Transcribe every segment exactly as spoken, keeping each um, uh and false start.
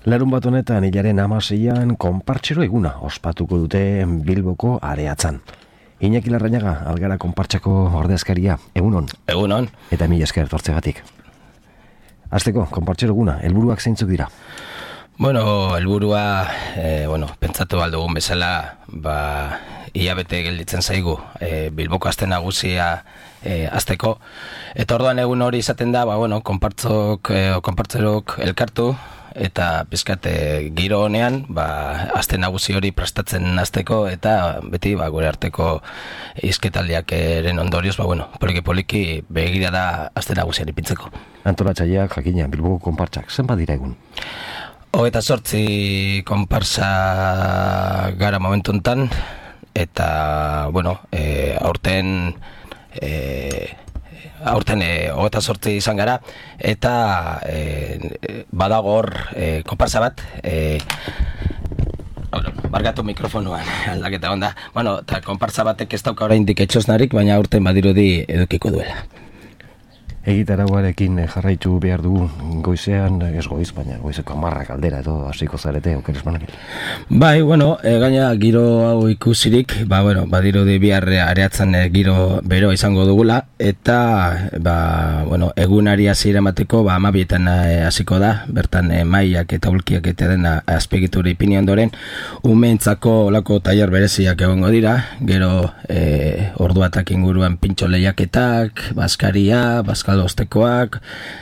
Larun bat honetan hilaren hamaseian konpartsero eguna ospatuko dute Bilboko Areatzan. Iñaki Larrañaga, Algara konpartsako ordezkaria, egunon. Egunon. Eta mila esker tortzegatik. Hasteko, konpartsero eguna, helburuak zeintzuk dira? Bueno, helburua, eh, bueno, pentsatu aldugun bezala, ba, hilabete gelditzen zaigu e, Bilboko aste nagusia e, azteko. Eta orduan egun hori izaten da, ba, bueno, konpartzok, e, konpartzerok elkartu, eta pizkate giro honean, ba, aste nagusi hori prestatzen hasteko eta beti ba, gure arteko hizketaldiak eren ondorioz, ba, bueno, poliki-poliki begira da aste nagusiari pintzeko. Antolatzaileak jakina, Bilboko konpartsak, zenbat dira egun? Hogeita sortzi konpartsa gara momentu enten, eta, bueno, e, aurten... E, aurten e, hogeita sortzi izan gara, eta e, badago hor e, konpartsa bat, e, bargatu mikrofonuan aldaketa onda. Bueno, eta konpartsa batek ez dauka oraindik etxosnarik, baina aurten badirudi edukiko duela. Egitarauarekin jarraitu behar dugu goizean, ez goiz, baina goizeko hamarrak aldera edo hasiko zarete, okeres manakin. Bai, bueno, e, gaina giro hau ikusirik, ba, bueno, badirudi bihar Areatzan e, giro bero izango dugula, eta, ba, bueno, egunari hasiera emateko, ba, amabietan hasiko da, bertan e, maiak eta ulkiak eta dena azpegitura ipini ondoren, umeentzako olako tailer bereziak egongo dira, gero e, orduatak inguruan pintxo lehiaketak, baskaria, baskaria, ostekoak,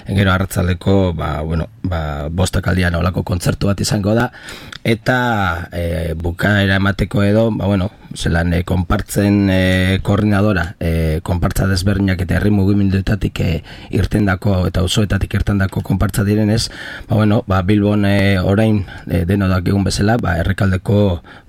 gero arratzaldeko ba, bueno, ba, bostak aldian olako kontzertu bat izango da, eta e, bukaera emateko edo, ba, bueno, zelan e, konpartzen e, koordinadora, e, konpartza desberdinak eta herri mugimenduetatik e, irtendako eta auzoetatik irtendako konpartza direnez, ba, bueno, ba, Bilbon e, orain e, denodak egun bezala, ba, errekaldeko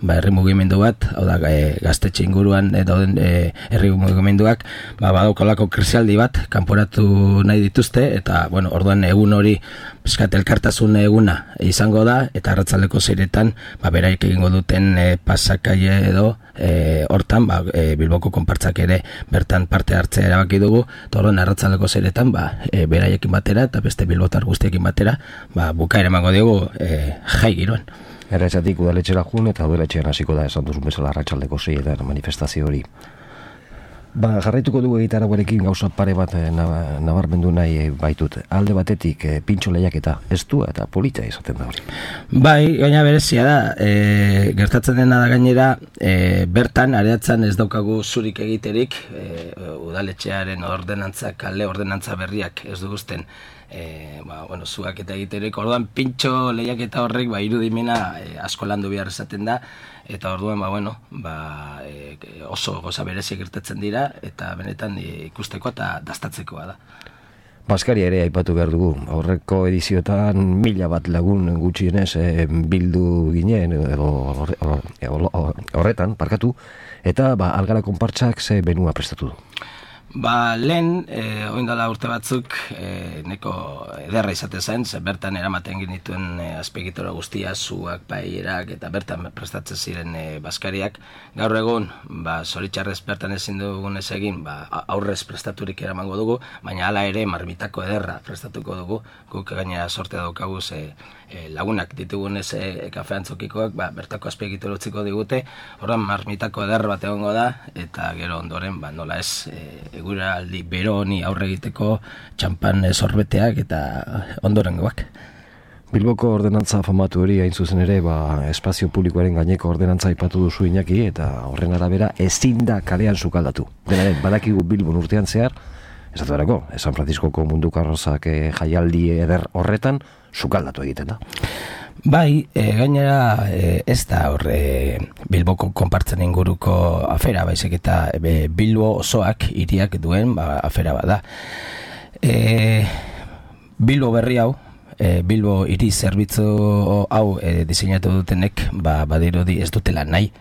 ba, herri mugimendu bat, hau da, e, gaztetxe inguruan e, dauden e, herri mugimenduak, ba, badaukolako krisialdi bat, kanporatu nahi dituzte, eta, bueno, orduan egun hori pizkat elkartasun eguna izango da, eta arratzaldeko zeiretan, ba, beraik egingo duten e, pasakaie edo, e, hortan, ba, e, Bilboko konpartzak ere bertan parte hartzea erabaki dugu, eta orduan arratzaldeko zeiretan, ba, e, beraiekin batera, eta beste bilbotar guztiekin batera, ba, bukaera emango dugu e, jai giroan. Erretzatik udaletxera jun, eta udaletxean hasiko da esan duzun bezala arratsaldeko zeietan manifestazio hori. Ba, jarraituko dugu egitarauarekin gauza pare bat nabarmendu nahi baitut. Alde batetik e, pintxo lehiaketa ez du eta polita izaten da hori. Bai, gaina berezia da, e, gertatzen dena da gainera, e, bertan Areatzan ez daukagu zurik egiterik, e, udaletxearen ordenantza, kale ordenantza berriak ez duguzten, E, ba, bueno, zuak eta egiterik, orduan pintxo lehiaketa horrek ba, irudimena e, asko landu behar esaten da, eta orduan ba, bueno, ba, e, oso goza bereziak gertatzen dira, eta benetan e, ikusteko eta dastatzekoa da. Baskaria ere aipatu behar dugu, aurreko edizioetan mila bat lagun gutxienez e, bildu ginen, edo horretan, parkatu, eta ba, Algara konpartsak ze benua prestatu du. Ba, lehen, e, oindala urte batzuk, e, neko ederra izate zen, ze bertan eramaten genituen e, azpegitura guztia, zuak, paierak, eta bertan prestatzen ziren e, baskariak. Gaur egun, ba, zoritxarrez bertan ezin dugun ez egin, ba, aurrez prestaturik eramango dugu, baina hala ere marmitako ederra prestatuko dugu, guk gainera sorte daukagu ze e, lagunak ditugun ez e, kafeantzokikoak, ba, bertako azpegitura utziko digute, horren marmitako ederra bat egongo da, eta gero ondoren, ba, nola ez, e, gura aldi bero honi aurre egiteko txampan sorbeteak eta ondorengoak. Bilboko ordenantza famatu hori hain zuzen ere, ba, espazio publikoaren gaineko ordenantza aipatu duzu Iñaki, eta horren arabera ezin da kalean sukaldatu. Denaren, badakigu Bilbon urtean zehar, esatu erako, San Franciscoko munduko arrozak e, jaialdi eder horretan sukaldatu egiten da. Bai, e, gainera e, ez da hor e, Bilboko konpartzen inguruko afera, baizik eta e, Bilbo osoak hiriak duen ba, afera bada. E, Bilbo berri hau, e, Bilbo hiri zerbitzu hau e, diseinatu dutenek, ba, badirudi ez dutela nahi,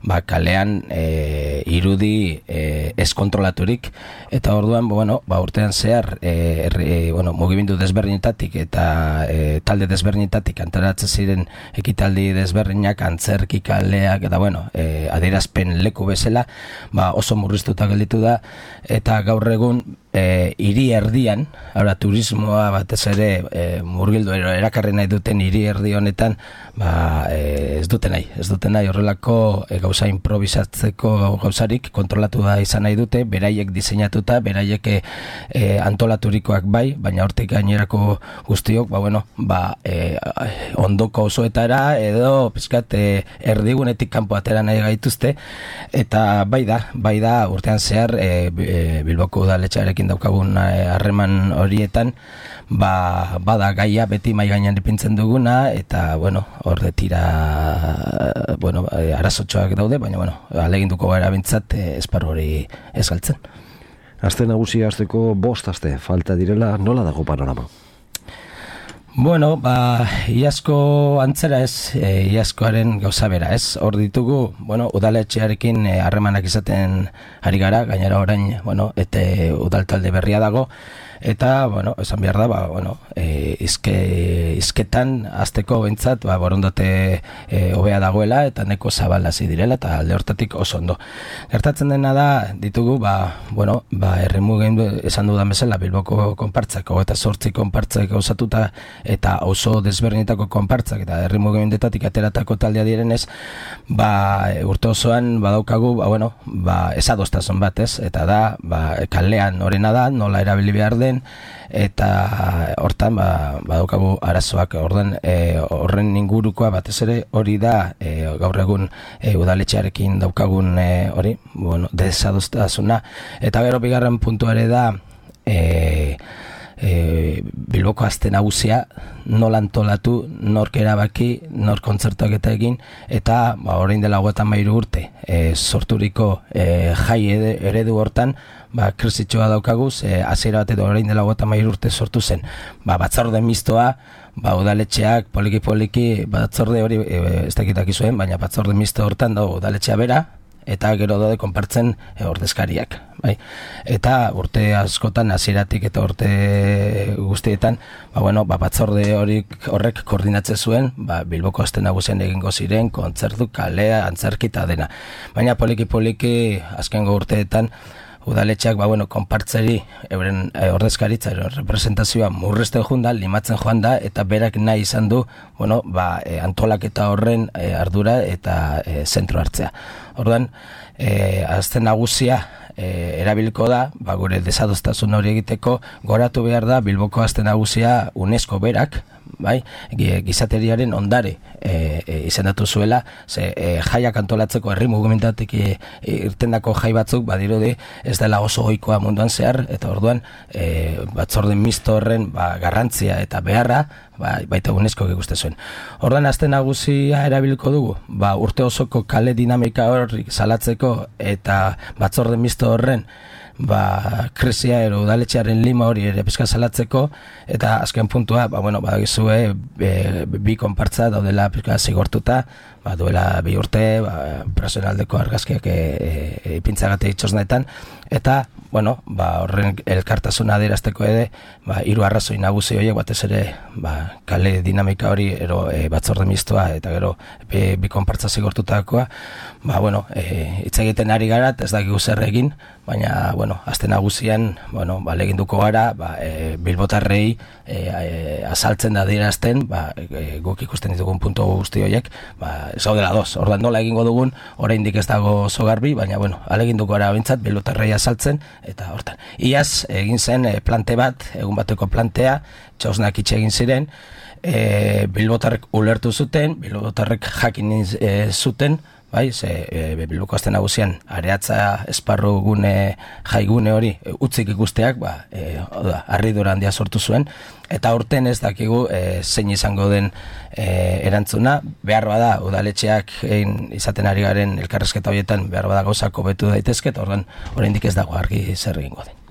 ba, kalean e, irudi e, eskontrolaturik, eta orduan, bueno, ba, urtean zehar e, e, bueno, mugimendu desberdinetatik eta e, talde desberdinetatik antolatzen ziren ekitaldi desberdinak, antzerki kaleak, eta bueno, e, adierazpen leku bezala, ba, oso murriztuta gelditu da, eta gaur egun e, hiri erdian, ara, turismoa batez ere e, murgildu erakarri nahi duten hiri erdi honetan, ba, e, ez dute nahi, ez dute nahi horrelako e, gauza improvisatzeko gauzarik kontrolatu da izan nahi dute, beraiek diseinatuta, beraiek e, antolaturikoak bai, baina hortik gainerako guztiok, ba, bueno, ba, e, ondoko osoetara edo pizkat e, erdigunetik kanpo atera nahi gaituzte, eta bai da, bai da urtean zehar e, e, Bilboko udaletxearekin daukagun harreman horietan, ba, bada gaia beti mai gainean ipintzen duguna, eta bueno, hor tira bueno, arazotxoak daude, baina bueno, aleginduko gara bintzat esparru hori ez galtzen. Aste nagusia hasteko bost aste falta direla, nola dago panorama? Bueno, ba, iazko antzera ez, e, iazkoaren gauza bera ez, hor ditugu, bueno, udaletxearekin harremanak e, izaten ari gara, gainera orain, bueno, eta udaltalde berria dago, eta, bueno, esan behar da, ba, bueno, e, izke, izketan azteko bintzat, ba, borondate e, hobea dagoela, eta neko zabalazi direla, eta alde hortatik oso ondo. Gertatzen dena da, ditugu, ba, bueno, ba, erremugen esan dudan bezala, Bilboko konpartzako, eta sortzi konpartzak gauzatuta, eta oso desberdinetako konpartzak eta herri mugimendetatik ateratako taldea direnez, ba, urte osoan badaukagu, ba, bueno, ba, esadostasun bat, ez? Eta da, ba, kalean horrena da, nola erabili behar den, eta hortan, ba, badaukagu arazoak, orden, e, horren ingurukoa batez ere hori da, e, gaur egun e, udaletxearekin daukagun e, hori, bueno, desadostasuna, eta gero bigarren puntuare da, e, E, Bilboko aste nagusia nola antolatu, nork erabaki, nork kontzertuak eta egin, eta ba, orain dela hogeita hamairu urte e, sorturiko e, jai eredu hortan, ba, krisitxoa daukaguz, e, hasiera bat edo orain dela hogeita hamairu urte sortu zen, ba, batzorde mistoa, ba, udaletxeak poliki-poliki, batzorde hori e, ez dakitak izuen, baina batzorde misto hortan da udaletxea bera, eta gero daude konpartzen e, ordezkariak, bai? Eta urte askotan hasieratik eta urte guztietan, ba, bueno, ba, batzorde horik horrek koordinatzen zuen, ba, Bilboko aste nagusian egingo ziren kontzertu, kalea, antzerki eta dena. Baina poliki-poliki azkengo urteetan udaletxeak, ba, bueno, konpartzeri euren e, ordezkaritza ero representazioa murrezten joan da, limatzen joan da, eta berak nahi izan du, bueno, ba, e, antolaketa horren e, ardura eta e, zentro hartzea. Orduan, e, azte nagusia e, erabiliko da, ba, gure desadostasun hori egiteko, goratu behar da Bilboko aste nagusia UNESCO berak, bai, gizateriaren ondare e, e, izendatu zuela, ze e, jaiak antolatzeko herri mugimentatik e, e, irtendako jai batzuk badirudi ez dela oso ohikoa munduan zehar, eta orduan e, batzorde misto horren ba, garrantzia eta beharra ba, baita UNESCO ikuste zuen. Orduan aste nagusia erabiliko dugu, ba, urte osoko kale dinamika horrik salatzeko eta batzorde misto horren ba, krisia ero udaletxearen lima hori ere pizka salatzeko, eta azken puntua, ba, bueno, badagizue e, bi konpartza daudela pizka zigortuta, ba, duela bi urte, ba, personaldeko argazkiak e, e, ipintzagate itxosnetan, eta, bueno, ba, horren elkartasuna adierazteko ere, ba, hiru arrazoi nagusi horiek batez ere, ba, kale dinamika hori ero e, batzorde mistoa, eta gero bi, bi konpartza zigortutakoa, ba, bueno, e, hitz egiten ari gara, ez dakigu zer egin, baina, bueno, aste nagusian, bueno, ba, leginduko gara, ba, e, bilbotarrei e, e, azaltzen da adierazten, ba, e, guk ikusten ditugun puntu guzti horiek, ba, ez gaudela doz, ordan nola egingo dugun, oraindik ez dago oso garbi, baina, bueno, aleginduko gara bintzat, bilbotarrei azaltzen, eta hortan. Iaz, egin zen e, plante bat, egun bateko plantea, txausnak itxe egin ziren, e, bilbotarrek ulertu zuten, bilbotarrek jakin e, zuten, bai, ze e, Bilboko aste nagusian areatza esparru gune jaigune hori e, utzik ikusteak, ba, e, oda, harridura handia sortu zuen, eta aurten ez dakigu e, zein izango den e, erantzuna, behar bada udaletxeak egin izaten ari garen elkarrezketa horietan behar bada gauzak hobetu daitezke, eta orduan oraindik ez dago argi zer egingo den.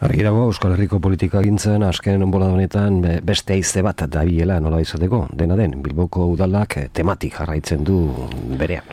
Argi dago, Euskal Herriko politika gintzen, azken bolada honetan beste haize bat dabilela nola izateko, dena den, Bilboko udalak tematik jarraitzen du berean.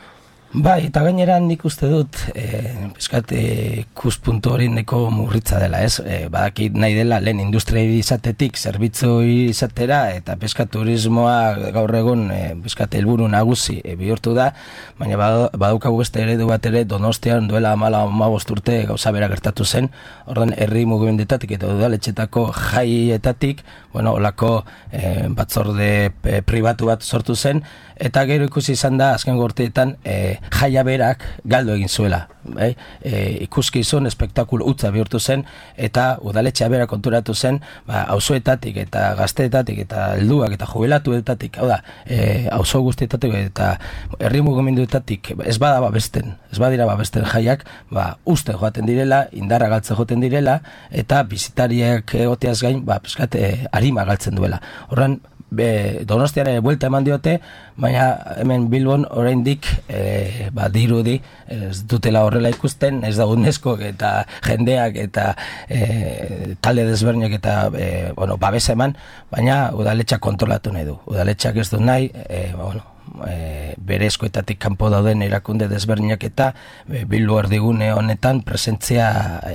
Bai, eta gainera nik uste dut, e, peskat, e, ikuspuntu hori neko murritza dela, ez? E, badakit nahi dela lehen industria izatetik zerbitzu izatera, eta peskat turismoa gaur egun e, peskat helburu nagusi e, bihurtu da, baina badaukagu beste eredu bat ere Donostian duela hamala hamabost urte gauza bera gertatu zen, orduan herri mugimendetatik eta udaletxetako jaietatik, bueno, olako e, batzorde e, pribatu bat sortu zen, eta gero ikusi izan da azken gorteetan e, jaia berak galdu egin zuela, bai? E, ikuskizun espektakulu utza bihurtu zen, eta udaletxea bera konturatu zen, ba, auzoetatik eta gazteetatik eta helduak eta jubilatuetatik, hau da, e, auzo guztietatik eta herri mugimenduetatik ez bada babesten, ez badira babesten jaiak, ba, uste joaten direla, indarra galtzen joaten direla, eta bizitariak egoteaz gain, ba, peskat, e, arima galtzen duela. Horren, Be, Donostian ere buelta eman diote, baina hemen Bilbon oraindik e, ba, dirudi ez dutela horrela ikusten, ez da UNESCO eta jendeak eta e, talde desberdinak eta e, bueno, babesa eman, baina udaletxak kontrolatu nahi du. Udaletxak ez du nahi, e, ba, bueno, E, bere eskoetatik kanpo dauden erakunde desberdinak eta e, Bilbo erdigune honetan presentzia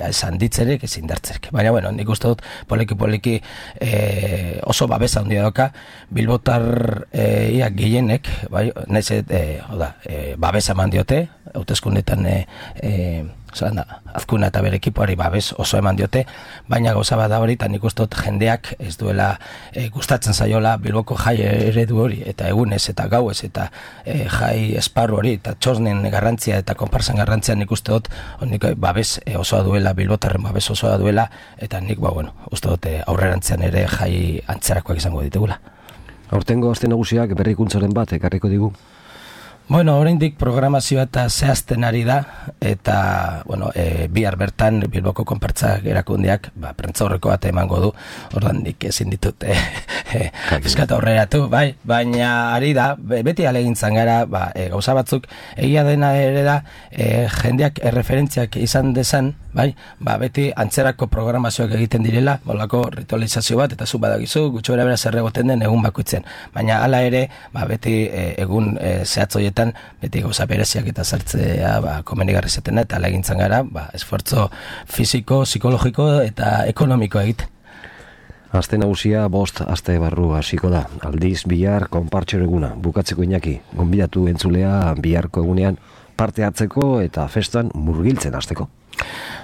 esan ditzerek ezin dartzerek. Baina, bueno, nik uste dut poliki-poliki e, oso babesa handia doka Bilbotar e, ia gehienek, bai, nahiz e, oda, e, babesa eman diote, hauteskundetan e, e, da, Azkuna eta bere ekipoari babes oso eman diote, baina gauza bat da hori, eta nik uste dut jendeak ez duela e, gustatzen zaiola Bilboko jai eredu hori, eta egunez eta gauez eta e, jai esparru hori, eta txosnen garrantzia eta konparsan garrantzia nik uste dut nik babes e, osoa duela, Bilbotarren babes osoa duela, eta nik, ba, bueno, uste dut e, aurrerantzean ere jai antzerakoak izango ditugula. Aurtengo aste nagusiak berrikuntzaren bat ekarriko digu? Bueno, oraindik programazioa eta zehazten ari da, eta, bueno, e, bihar bertan Bilboko konpartzak erakundeak, ba, prentzaurreko bat emango du, ordan nik ezin ditut e, e, fiskat aurreratu, bai, baina ari da, beti alegintzan gara, ba, e, gauza batzuk, egia dena ere da, e, jendeak erreferentziak izan dezan, bai, ba, beti antzerako programazioak egiten direla, bolako ritualizazio bat, eta zu badakizu, gutxo bera bera zerregoten den egun bakoitzen, baina hala ere, ba, beti e, egun e, zehatzoietan beti gauza bereziak eta sartzea ba, komenigarri zetena eta alegintzan gara ba, esfortzo fisiko, psikologiko eta ekonomiko egiten. Aste nagusia bost aste barru hasiko da. Aldiz bihar konpartxero eguna. Bukatzeko Iñaki, gonbidatu entzulea biharko egunean parte hartzeko eta festan murgiltzen hasteko.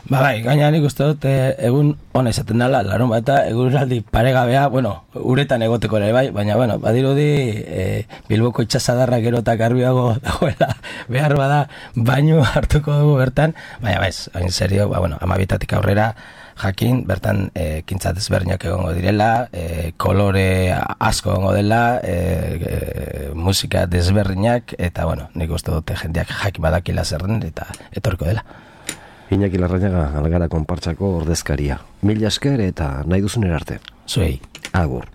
Ba bai, gaina nik uste dut e, egun ona izaten dela, larun bat eta eguraldi paregabea, bueno, uretan egoteko ere bai, baina, bueno, badirudi e, Bilboko itxasadarra gero eta garbiago dagoela, behar bada baino hartuko dugu bertan, baina baiz, hain serio, ba, bueno, amabitatik aurrera, jakin, bertan e, kintza desberdinak egongo direla, e, kolore asko egongo dela, e, e, musika desberdinak, eta, bueno, nik uste dute jendeak jakin badakila zerren, eta etorko dela. Iñaki Larrañaga, Algara konpartsako ordezkaria. Mila esker eta nahi duzun erarte. Zuei. Agur.